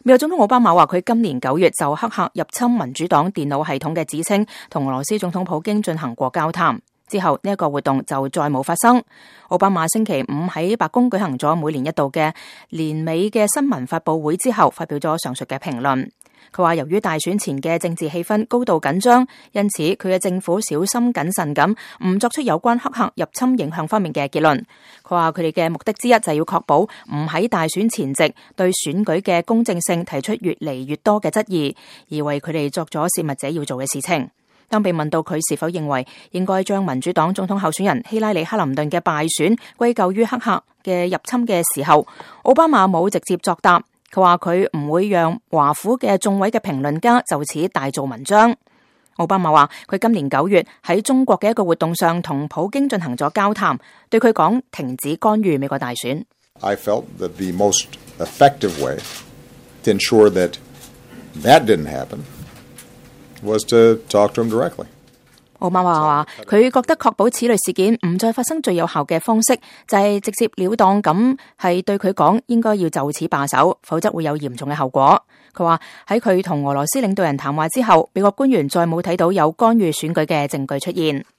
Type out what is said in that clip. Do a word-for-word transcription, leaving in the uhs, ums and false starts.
美國總統奧巴馬話佢今年九月就黑客入侵民主黨電腦系統嘅指稱同俄羅斯總統普京進行過交談，之後呢一個活動就再冇發生。奧巴馬星期五喺白宮舉行咗每年一度嘅年尾嘅新聞發佈會之後，發表咗上述嘅評論。佢話由於大選前嘅政治氣氛高度緊張，因此佢嘅政府小心謹慎咁唔作出有關黑客入侵影響方面嘅結論。佢話佢哋嘅目的之一就係要確保唔喺大選前夕對選舉嘅公正性提出越嚟越多嘅質疑，而為佢哋作咗泄密者要做嘅事情。當被問到佢是否認為應該將民主黨總統候選人希拉里克林頓嘅敗選歸咎於黑客嘅入侵嘅時候，奧巴馬冇直接作答。佢話佢唔會讓華府嘅眾位嘅評論家就此大做文章。奧巴馬話佢今年九月喺中國嘅一個活動上同普京進行咗交談，對佢講停止干預美國大選。I felt that the most effective way to ensure that that didn't happen was to talk to him directly. 奧巴馬話佢覺得確保此類事件唔再發生最有效嘅方式就係直接了當咁係對佢講應該要就此罷手，否則會有嚴重嘅後果。佢話喺佢同俄羅斯領導人談話之後，美國官員再冇睇到有干預選舉嘅證據出現。